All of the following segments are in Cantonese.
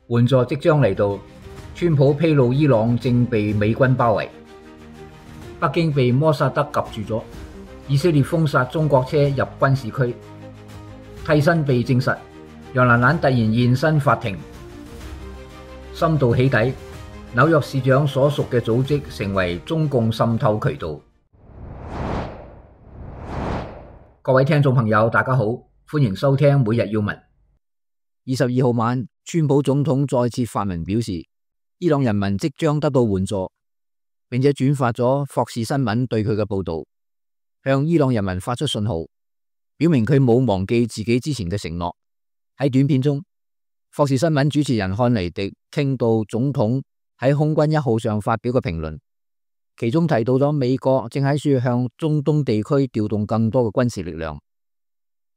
援助即將嚟到，川普披露伊朗正被美軍包圍，北京被摩薩德夾住咗，以色列封殺中國車入軍事區，替身被證實，楊蘭蘭突然現身法庭，深度起底，紐約市長所屬嘅組織成為中共滲透渠道。各位聽眾朋友，大家好，歡迎收聽每日要聞。22號晚，川普總統再次發文表示，伊朗人民即將得到援助，並且轉發咗霍士新聞對佢嘅報道，向伊朗人民發出信號，表明佢冇忘記自己之前嘅承諾。喺短片中，霍士新聞主持人漢尼迪傾到總統喺空軍1號上發表嘅評論，其中提到咗美國正喺處向中東地區調動更多嘅軍事力量。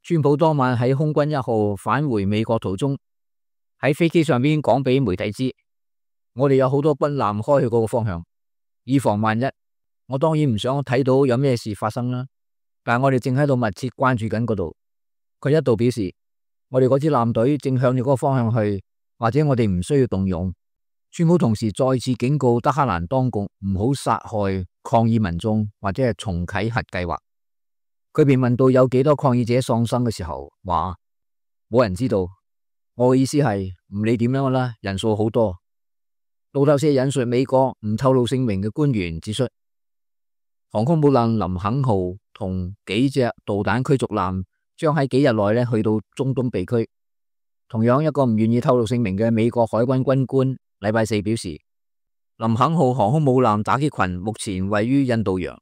川普當晚喺空軍1號返回美國途中，喺飛機上邊講俾媒體知，我哋有好多軍艦開去嗰個方向，以防萬一。我當然唔想睇到有咩事發生啦，但係我哋正喺度密切關注緊嗰度。佢一度表示，我哋嗰支艦隊正向住嗰個方向去，或者我哋唔需要動用。川普同時再次警告德黑蘭當局唔好殺害抗議民眾或者係重啟核計劃。佢被問到有幾多抗議者喪生嘅時候，話冇人知道。我嘅意思係唔理點樣啦，人數好多。路透社引述美國唔透露姓名嘅官員指出，航空母艦林肯號同幾隻導彈驅逐艦將喺幾日內去到中東地區。同樣一個唔願意透露姓名嘅美國海軍軍官禮拜四表示，林肯號航空母艦打擊群目前位於印度洋。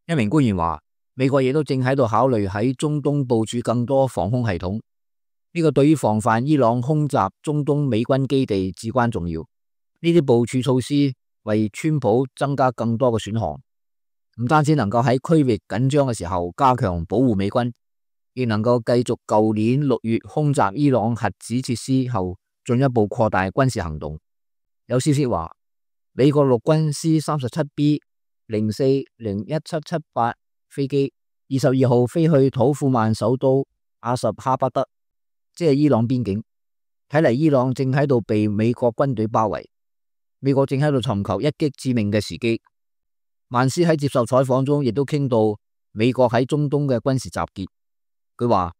一名官員話，美國亦都正喺度考慮喺中東部署更多防空系統，呢個對於防範伊朗空襲中東美軍基地至關重要。呢啲部署措施為川普增加更多嘅選項，唔單止能夠喺區域緊張嘅時候加強保護美軍，亦能夠繼續舊年6月空襲伊朗核子設施後進一步擴大軍事行動。有消息話，美國陸軍 C-37B 04-01-778飛機22號飛去土庫曼首都阿什哈巴德，即係伊朗邊境。睇嚟伊朗正喺度被美國軍隊包圍，美國正喺度尋求一擊致命嘅時機。曼斯喺接受採訪中亦都傾到美國喺中東嘅軍事集結。佢話，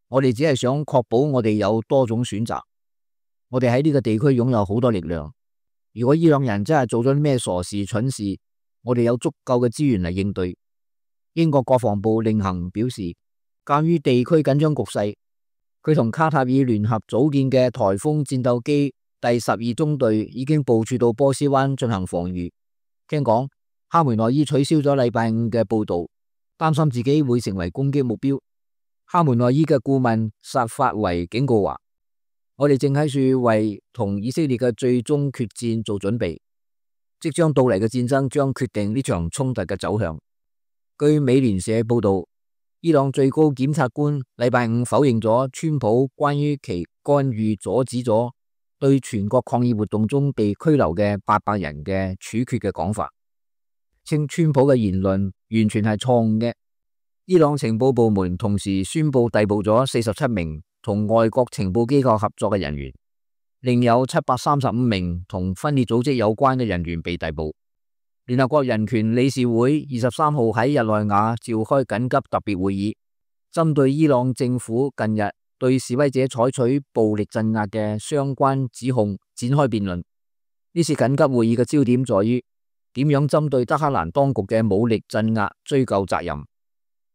我哋只係想確保我哋有多種選擇，我哋喺呢個地區擁有好多力量。如果伊朗人真係做咗啲咩傻事蠢事，我哋有足夠嘅資源嚟應對。英國國防部令行表示，鑒於地區緊張局勢，佢同卡塔爾聯合組建嘅颱風戰鬥機第12中隊已經部署到波斯灣進行防禦。聽講哈梅內伊取消咗禮拜5嘅報道，擔心自己會成為攻擊目標。哈梅內伊嘅顧問薩法維警告話，我哋正喺處為同以色列嘅最終決戰做準備，即將到嚟嘅戰爭將決定呢場衝突嘅走向。據美聯社報道，伊朗最高檢察官禮拜5否認咗川普關於其干預阻止咗對全國抗議活動中被拘留嘅800人嘅處決嘅講法，稱川普嘅言論完全係錯誤嘅。伊朗情報部門同時宣布逮捕咗47名同外國情報機構合作嘅人員，另有735名同分裂組織有關嘅人員被逮捕。聯合國人權理事會23號喺日內瓦召開緊急特別會議，針對伊朗政府近日對示威者採取暴力鎮壓嘅相關指控展開辯論。呢次緊急會議嘅焦點在於點樣針對德黑蘭當局嘅武力鎮壓追究責任。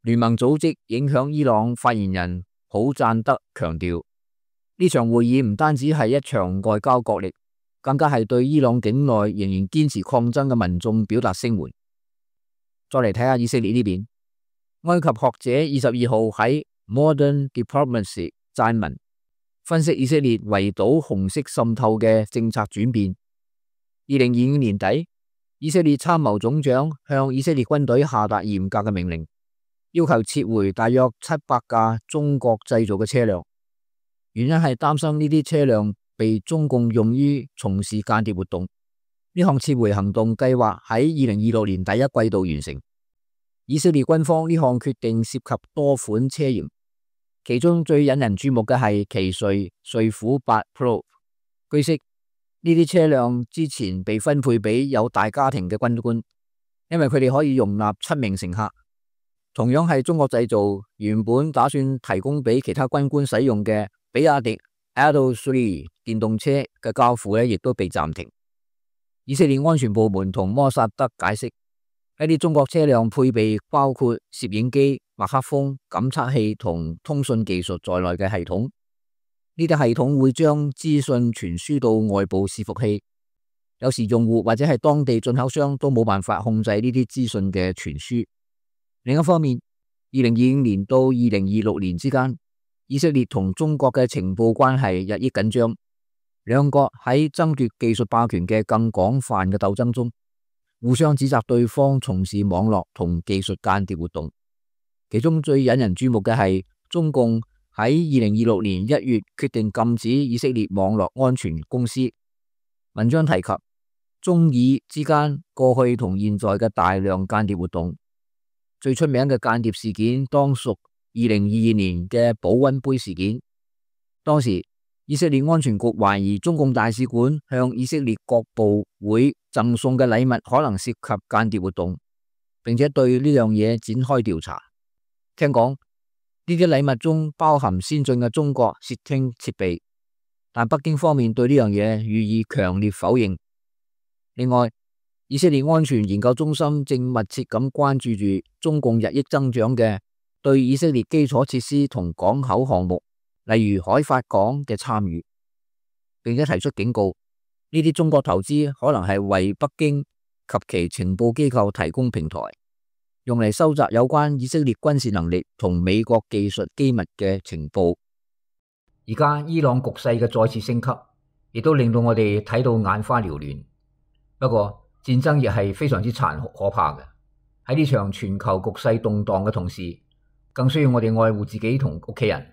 聯盟組織影響伊朗發言人普贊德強調，呢場會議唔單止係一場外交角力，更加係對伊朗境內仍然堅持抗爭嘅民眾表達聲援。再嚟睇下以色列呢邊，埃及學者22號喺 Modern Diplomacy 撰文，分析以色列圍堵紅色滲透嘅政策轉變。2025年底，以色列參謀總長向以色列軍隊下達嚴格嘅命令，要求撤回大約700架中國製造嘅車輛，原因係擔心呢啲車輛被中共用於從事間諜活動。呢項撤回行動計劃喺2026年第一季度完成。以色列軍方呢項決定涉及多款車型，其中最引人注目嘅係奇瑞瑞虎8 Pro。據悉，呢啲車輛之前被分配俾有大家庭嘅軍官，因為佢哋可以容納7名乘客。同樣係中國製造，原本打算提供俾其他軍官使用嘅比亞迪 L3 電動車嘅交付亦都被暫停。以色列安全部門同摩薩德解釋，一啲中國車輛配備包括攝影機、麥克風、感測器同通訊技術在內嘅系統。呢啲系統會將資訊傳輸到外部伺服器，有時用戶或者係當地進口商都冇辦法控制呢啲資訊嘅傳輸。另一方面，2025年到2026年之間，以色列同中國嘅情報關係日益緊張，兩國喺爭奪技術霸權嘅更廣泛嘅鬥爭中，互相指責對方從事網絡同技術間諜活動。其中最引人注目嘅係中共喺2026年1月決定禁止以色列網絡安全公司。文章提及中以之間過去同現在嘅大量間諜活動。最出名嘅間諜事件當屬2022年嘅保溫杯事件。當時以色列安全局懷疑中共大使館向以色列各部會贈送嘅禮物可能涉及間諜活動，並且對呢樣嘢展開調查。聽講呢啲禮物中包含先進嘅中國竊聽設備，但北京方面對呢樣嘢予以強烈否認。另外，以色列安全研究中心正密切咁關注住中共日益增長嘅對以色列基礎設施同港口項目，例如海法港嘅參與，並且提出警告，呢啲中國投資可能係為北京及其情報機構提供平台，用嚟收集有關以色列軍事能力同美國技術機密嘅情報。而家伊朗局勢嘅再次升級，亦都令到我哋睇到眼花繚亂。不過戰爭亦係非常之殘酷可怕嘅。喺呢場全球局勢動盪嘅同時，更需要我哋愛護自己同屋企人。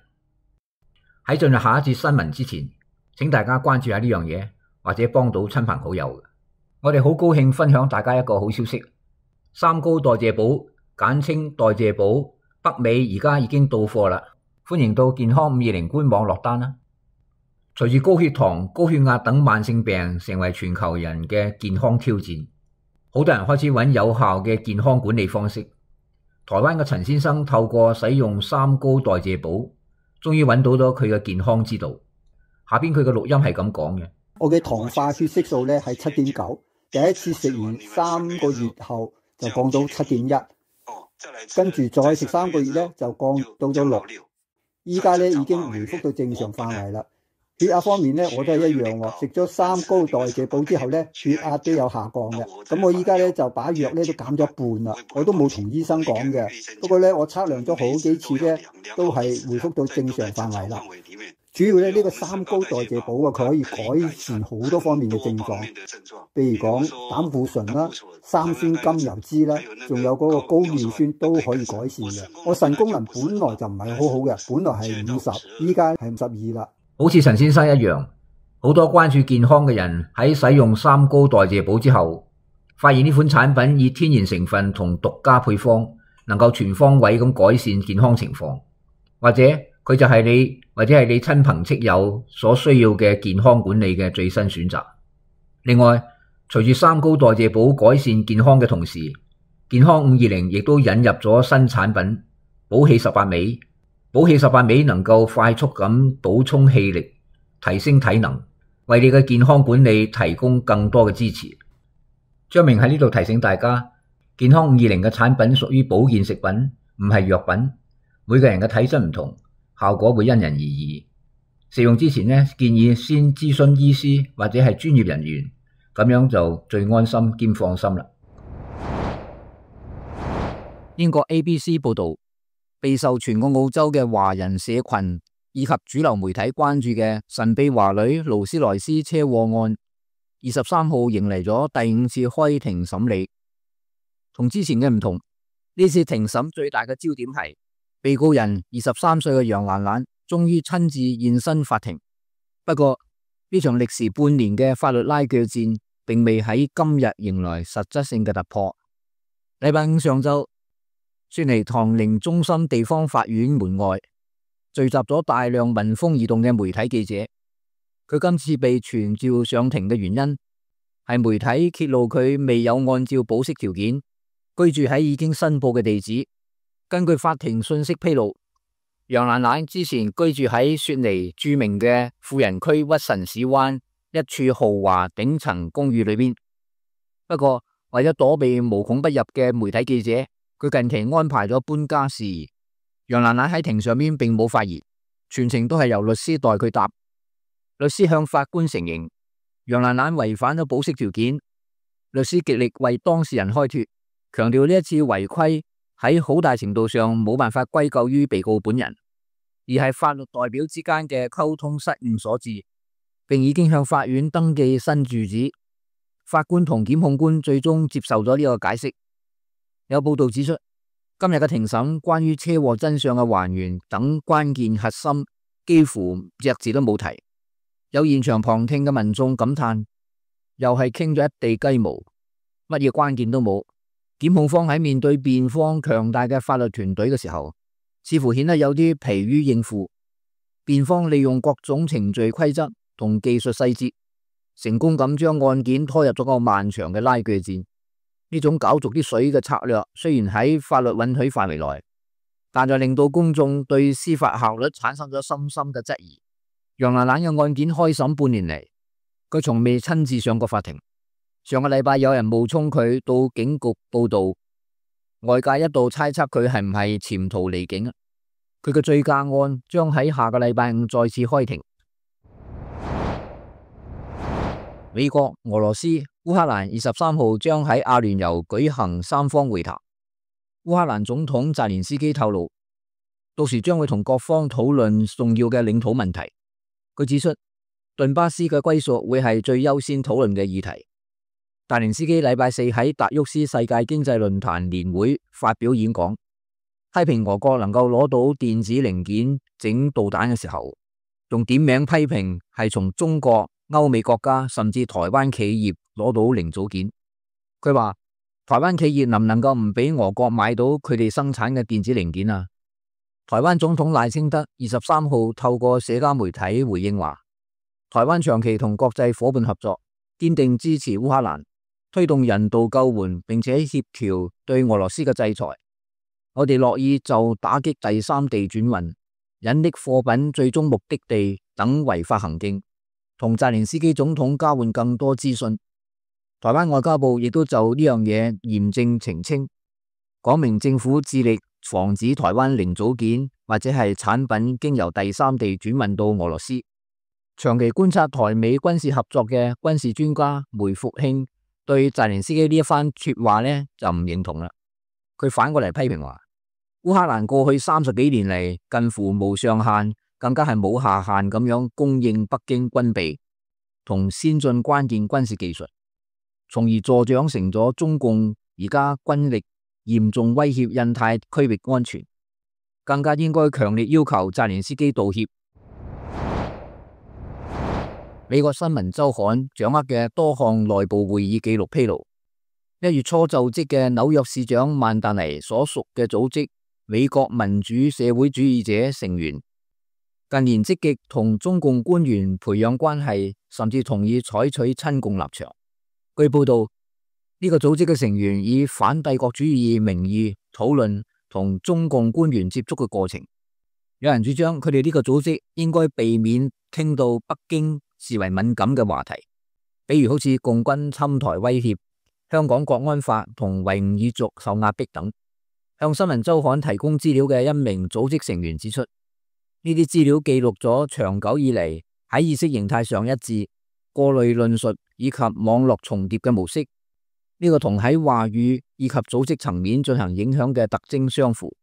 喺進入下一節新聞之前，請大家關注下呢樣嘢，或者幫到親朋好友。我哋好高興分享大家一個好消息，三高代謝寶，簡稱代謝寶，北美而家已經到貨啦，歡迎到健康520官網落單啦。隨住高血糖、高血壓等慢性病成為全球人嘅健康挑戰，好多人開始揾有效嘅健康管理方式。台灣嘅陳先生透過使用三高代謝寶，終於揾到咗佢嘅健康之道。下邊佢嘅錄音係咁講嘅：我嘅糖化血色素咧係7.9，第一次食完3個月後就降到7.1，跟住再食3個月咧就降到咗6，依家咧已經回復到正常範圍啦。血壓方面咧，我都係一樣喎。食咗三高代謝寶之後咧，血壓都有下降嘅。咁我依家咧就把藥咧都減咗半啦。我都冇同醫生講嘅，不過咧我測量咗好幾次咧，都係回復到正常範圍啦。主要咧呢個三高代謝寶啊，佢可以改善好多方面嘅症狀，譬如講膽固醇啦、三酸甘油酯啦，仲有嗰個高尿酸都可以改善嘅。我腎功能本來就唔係好好嘅，本來係50，依家係52啦。好似陳先生一樣，好多關注健康嘅人喺使用三高代謝寶之後，發現呢款產品以天然成分同獨家配方，能夠全方位咁改善健康情況，或者佢就係你或者係你親朋戚友所需要嘅健康管理嘅最新選擇。另外，隨住三高代謝寶改善健康嘅同時，健康520亦都引入咗新產品寶氣18味。寶氣18味能夠快速咁補充氣力，提升體能，為你嘅健康管理提供更多嘅支持。張明喺呢度提醒大家，健康520嘅產品屬於保健食品，唔係藥品。每個人嘅體質唔同，效果會因人而異。食用之前建議先諮詢醫師或者係專業人員，咁樣就最安心兼放心啦。英國 ABC 報道，備受全個澳洲嘅華人社群以及主流媒體關注嘅神秘華女勞斯萊斯車禍案，23號迎嚟咗第5次開庭審理。同之前嘅唔同，呢次庭審最大嘅焦點係被告人23歲嘅楊蘭蘭終於親自現身法庭。不過呢場歷時半年嘅法律拉鋸戰，並未喺今日迎來實質性嘅突破。禮拜5上晝，雪梨唐寧中心地方法院門外聚集咗大量聞風而動嘅媒體記者。佢今次被傳召上庭嘅原因係媒體揭露佢未有按照保釋條件居住喺已經申報嘅地址。根據法庭信息披露，楊蘭蘭之前居住喺雪梨著名嘅富人區屈臣氏灣一處豪華頂層公寓裏邊。不過為咗躲避無孔不入嘅媒體記者，佢近期安排咗搬家事宜。楊蘭蘭喺庭上面並冇發言，全程都係由律師代佢答。律師向法官承認楊蘭蘭違反咗保釋條件，律師極力為當事人開脫，強調呢一次違規喺好大程度上冇辦法歸咎於被告本人，而係法律代表之間嘅溝通失誤所致，並已經向法院登記新住址。法官同檢控官最終接受咗呢個解釋。有報道指出，今日嘅庭審關於車禍真相嘅還原等關鍵核心幾乎隻字都冇提。有現場旁聽嘅民眾感嘆，又係傾咗一地雞毛，乜嘢關鍵都冇。檢控方喺面對辯方強大嘅法律團隊嘅時候，似乎顯得有啲疲於應付。辯方利用各種程序規則同技術細節，成功咁將案件拖入咗個漫長嘅拉鋸戰。呢種搞濁啲水嘅策略，雖然喺法律允許範圍內，但就令到公眾對司法效率產生咗深深嘅質疑。楊蘭蘭嘅案件開審半年嚟，佢從未親自上過法庭。上個禮拜有人冒充佢到警局報到，外界一度猜測佢係唔係潛逃離境。佢嘅醉駕案將喺下個禮拜五再次開庭。美國、俄羅斯、烏克蘭23號將喺阿聯酋舉行三方會談。烏克蘭總統澤連斯基透露，到時將會同各方討論重要嘅領土問題。佢指出，頓巴斯嘅歸屬會係最優先討論嘅議題。澤連斯基禮拜四喺達沃斯世界經濟論壇年會發表演講，批評俄國能夠攞到電子零件整導彈嘅時候，仲點名批評係從中國、歐美國家甚至台灣企業攞到零組件。佢話台灣企業能唔能夠唔俾俄國買到佢哋生產嘅電子零件啊？台灣總統賴清德23號透過社交媒體回應話，台灣長期同國際夥伴合作，堅定支持烏克蘭，推動人道救援，並且協調對俄羅斯嘅制裁。我哋樂意就打擊第三地轉運、隱匿貨品最終目的地等違法行徑，同澤連斯基總統交換更多資訊。台灣外交部亦都就呢樣嘢嚴正澄清，講明政府致力防止台灣零組件或者係產品經由第三地轉運到俄羅斯。長期觀察台美軍事合作嘅軍事專家梅復慶對澤連斯基呢一番說話呢就唔認同啦。佢反過嚟批評話，烏克蘭過去30幾年嚟近乎無上限，更加係冇下限咁樣供應北京軍備同先進關鍵軍事技術，從而助長成咗中共而家軍力嚴重威脅印太區域安全，更加應該強烈要求澤連斯基道歉。美國新聞週刊掌握嘅多項內部會議記錄披露，1月初就職嘅紐約市長曼達尼所屬嘅組織美國民主社會主義者成員，近年積極同中共官員培養關係，甚至同意採取親共立場。據報道，呢個組織嘅成員以反帝國主義名義討論同中共官員接觸嘅過程。有人主張佢哋呢個組織應該避免傾到北京視為敏感嘅話題，比如好似共軍侵台威脅、香港國安法同維吾爾族受壓迫等。向新聞週刊提供資料嘅一名組織成員指出，呢啲資料記錄咗長久以嚟喺意識形態上一致、過濾論述以及網絡重疊嘅模式，呢個同喺話語以及組織層面進行影響嘅特徵相符。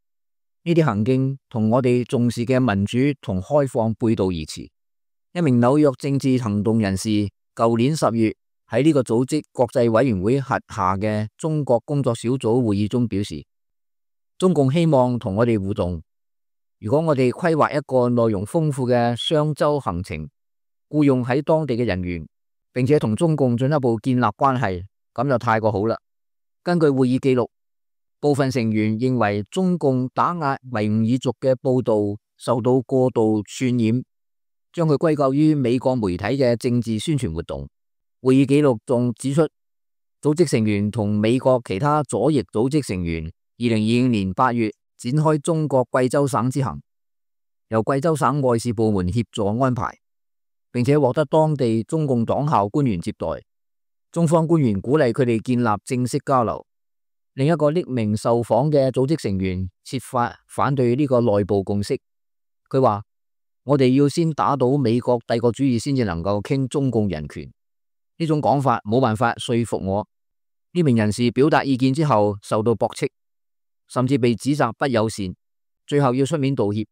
呢啲行徑同我哋重視嘅民主同開放背道而馳。一名紐約政治行動人士舊年10月喺呢個組織國際委員會轄下嘅中國工作小組會議中表示，中共希望同我哋互動，如果我哋規劃一個內容豐富嘅雙周行程，僱用喺當地嘅人員，並且同中共進一步建立關係，咁就太過好啦。根據會議記錄，部分成員認為中共打壓維吾爾族嘅報道受到過度渲染，將佢歸咎於美國媒體嘅政治宣傳活動。會議記錄仲指出，組織成員同美國其他左翼組織成員2025年8月展開中國貴州省之行，由貴州省外事部門協助安排，並且獲得當地中共黨校官員接待。中方官員鼓勵佢哋建立正式交流。另一個匿名受訪嘅組織成員設法反對呢個內部共識。佢話：我哋要先打倒美國帝國主義先至能夠傾中共人權。呢種講法冇辦法說服我。呢名人士表達意見之後受到駁斥，甚至被指責不友善，最後要出面道歉。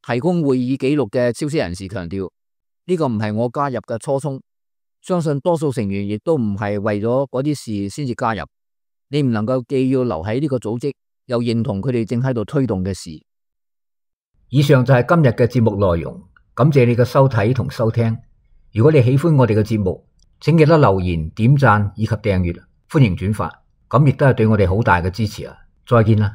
提供會議記錄嘅消息人士強調：呢個唔係我加入嘅初衷，相信多數成員亦都唔係為咗嗰啲事先至加入。你唔能夠既要留喺呢個組織，又認同佢哋正喺度推動嘅事。以上就係今日嘅節目內容，感謝你嘅收睇同收聽。如果你喜歡我哋嘅節目，請記得留言、點讚以及訂閱，歡迎轉發，咁亦都係對我哋好大嘅支持啊！再見啦。